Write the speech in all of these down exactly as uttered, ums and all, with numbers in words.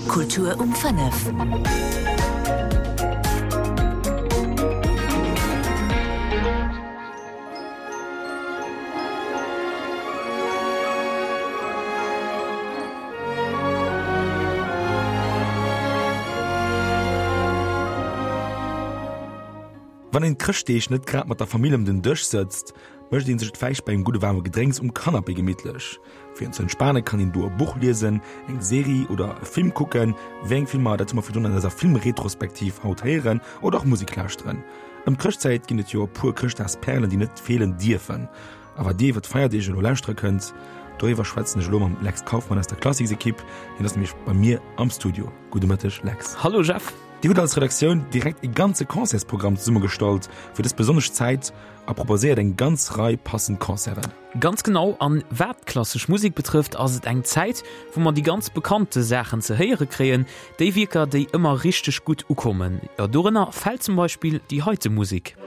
Kultur um fënnef. Wann een d'Chrëschtdeeg net grad mat der Famill ëm den Dësch sëtzt, mécht een sech et vläicht bei engem gudde waarme Gedrénks um Canapé gemittlech. Fir ze entspane kann een do e Buch liesen, eng Serie oder e Film kucken, wéi eng Filmer, dat hu mer virdrun an eiser Filmretrospektiv haut héieren, oder och Musek lauschteren. Ëm d'Chrëschtzäit ginn et jo e puer Chrëschtdagsperlen, déi net feelen dierfen. A wat dir iwwer d'Feierdeeg elo lauschtere kënnt, doriwwer schwätzen ech elo mam Lex Kauffmann aus der Klassiksekipp. Hien ass nämlech bei mir am Studio. Gudde Mëtteg, Lex. Hallo Jeff. Dir hutt als Redaktioun direkt e ganze Concertsprogramm zesummegestallt fir dës besonnesch Zäit a proposéiert eng ganz Rei passend Concerten. Ganz genau, an wat d'klassesch Musek betrëfft, ass et eng Zäit, wou mer déi ganz bekannte Saachen ze héiere kréien, déi Wierker, déi ëmmer richteg gutt ukommen. Jo, dorënner fält zum Beispill déi heite Musek.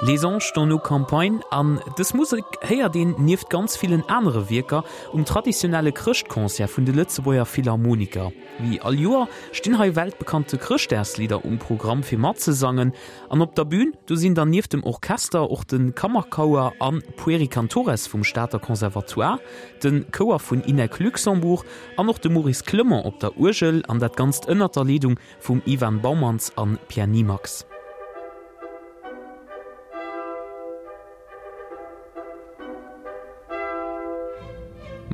Les Anges dans nos campagnes, an dës Musek héiert een nieft ganz villen anere Wierker um traditionelle Chrëschtconcert vun de Lëtzebuerger Philharmoniker. Wéi all Joer stinn hei weltbekannte Chrëschtdagslidder um Programm fir matzesangen an op der Bün do sinn dann nieft dem Orchester och de Kammerchouer an Pueri Cantores vum Stater Conservatoire, de Chouer vun INEC Luxembourg an och de Maurice Clement op der Uergel an dat Ganzt ënnert der Leedung vum Ivan Baumanns an Pierre Nimax.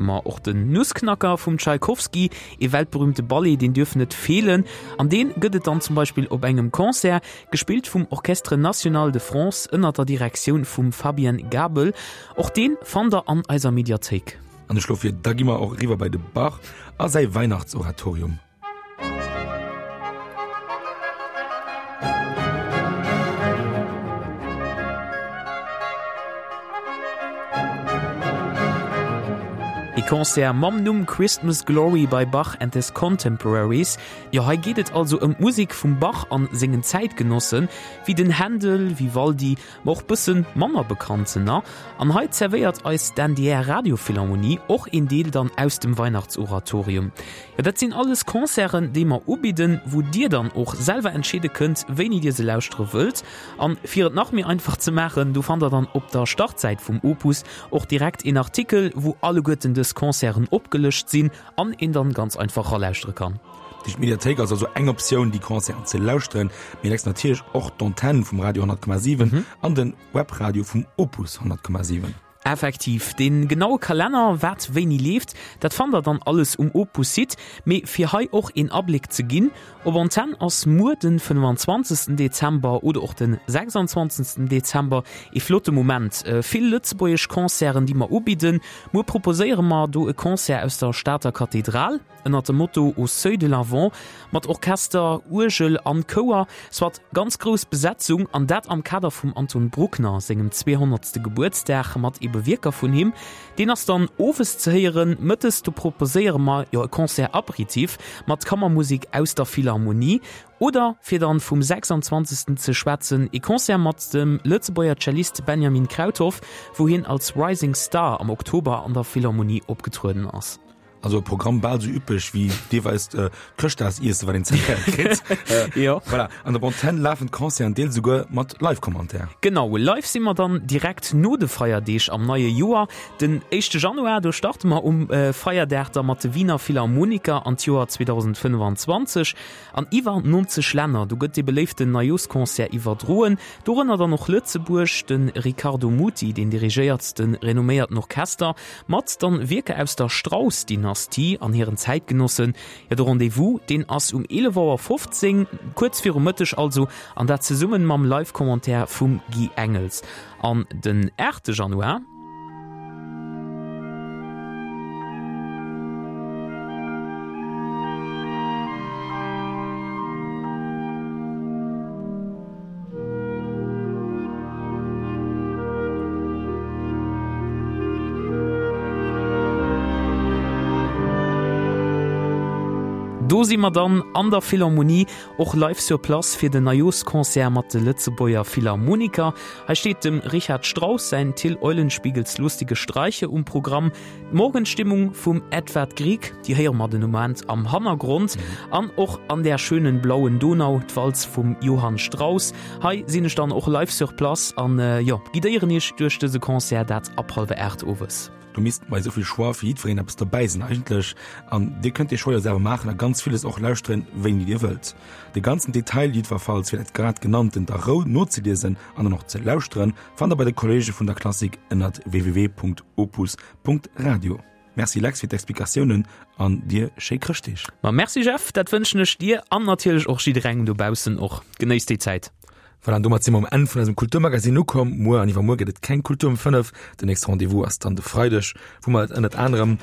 Ma och den Nussknacker vum Tschaikowski, ee weltberühmte Ballet, deen duerf net feelen. An deen gëtt et dann zum Beispill op engem Concert, gespillt vum Orchestre National de France ënnert der Direktioun vum Fabien Gabel. Och deen fannt der an eiser Mediathéik. An ech schlo vir, da gi mer och eriwwer bei de Bach a säi Weihnachtsoratorium. E Concert mam Numm Christmas Glory by Bach and his Contemporaries. Jo, hei geet et also ëm d'Musek vum Bach an sengen Zäitgenossen, wéi den Händel, Vivaldi, ma och bëssen manner bekanntener. An hei zerwéiert eis d'N D R Radiophilharmonie och een Deel dann aus dem Weihnachtsoratorium. Jo, dat sinn alles Concerten, déi mer ubidden, wou dir dann och selwer entscheede kënnt, wéini dir se lauschtere wëllt. An fir et nach méi einfach ze maachen, do fannt der dann op der Startsäit vum Opus och direkt een Artikel, wou alleguerten dës Concerten opgelëscht sinn an een dann ganz einfach ralauschtere kann. Déi Mediathéik ass also eng Optioun, déi Concerten ze lauschteren, mee Lex natierlech och d'Antenn vum Radio honnert Komma siwen an den Webradio vum Opus honnert Komma siwen. Effektiv, dee genaue Kalenner, wat wéini leeft, dat fannt der dann alles um Opus-Site. Mee fir hei och een Abléck ze ginn, op Antenn ass muer den fënnefanzwanzegsten Dezember oder och den sechsanzwanzegsten Dezember ee flotte Moment. Vill lëtzebuergesch Concerten, déi mer ubidden. Muer proposéiere mer do e Concert aus der Stater Kathedral ënnert dem Motto Au seuil de l'Avent mat Orchester, Uergel an Chouer, soit ganz grouss Besetzung an dat am Kader vum Anton Bruckner sengem zweehonnertste Gebuertsdag mat ebe Wierker vun him. Deen ass dann owes ze héieren, mëttes do proposéiere mer jo e Concert Aperitif mat Kammermusik aus der Philharmonie oder fir dann vum sechsanzwanzegsten ze schwätzen, e Concert mat dem Lëtzebuerger Cellist Benjamin Krauthoff, wou hien als Rising Star am Oktober an der Philharmonie opgetrueden ass. Also e Programm bal sou üppeg wéi deelweis d'Chrëschtdagsiesse wat een zerwéiert kritt. Jo. Voilà. An der Antenn lafen d'Concerten deels esouguer mat Live-Commentaire. Genau, live si mer dann direkt no de Feierdeeg am neie Joer. Den éischte Januar, do starte mer um Feierdag da mat de Wiener Philharmoniker an d'Joer zweedausendfënnefanzwanzeg. An iwwer nonzeg Länner, do gëtt dee beléiften Neijooschconcert iwwerdroen. Dorënner dann och Lëtzebuerg. De Riccardo Muti, deen dirigéiert de renomméierten Orchester mat dann Wierker aus der Strauss-Dynastie an hiren Zäitgenossen. Jo, de Rendez-vous, deen ass um eelef Auer fofzéng, kuerz viru Mëtteg also, an dat zesummen mam Live-Commentaire vum Guy Engels. An den aachte Januar, Do si mer dann an der Philharmonie, och live sur place fir den Neijooschconcert mat de Lëtzebuerger Philharmoniker. Hei steet dem Richard Strauss säin Till Eulenspiegels lustige Streiche um Programm. D'Morgenstimmung vum Edvard Grieg, déi héiere mer den Moment am Hannergrond. An och An der schönen blauen Donau, d'Walz vum Johann Strauss. Hei sinn ech dann och live sur place an, jo, guidéieren iech duerch dëse Concert, dat ab hallwer aacht owes. Do misst bei esou vill Choix fir jiddwereen eppes dobäi sinn eigentlech. An dir kënnt dee Choix jo selwer maachen a ganz villes och lauschteren, wéini dir wëllt. De ganzen Detail jiddwerfalls fir dat grad genanntent a Rou nozeliesen an dann och ze lauschteren, fannt der bei de Kollege vun der Klassik ënnert www.opus.radio. Merci Lex fir d'Explikatiounen an dir schéi Chrëschtdeeg. Ma merci Jeff, dat wënschen ech dir an natierlech och jidderengem dobaussen och. Genéisst déi Zäit. Voilà, an domat si mer um Enn vun eisem Kulturmagazin ukomm. Muer an iwwermuer gëtt et keng Kultur um fënnef. Den nächste Rendez-vous ass dann de Freideg, wou mer ënnert anerem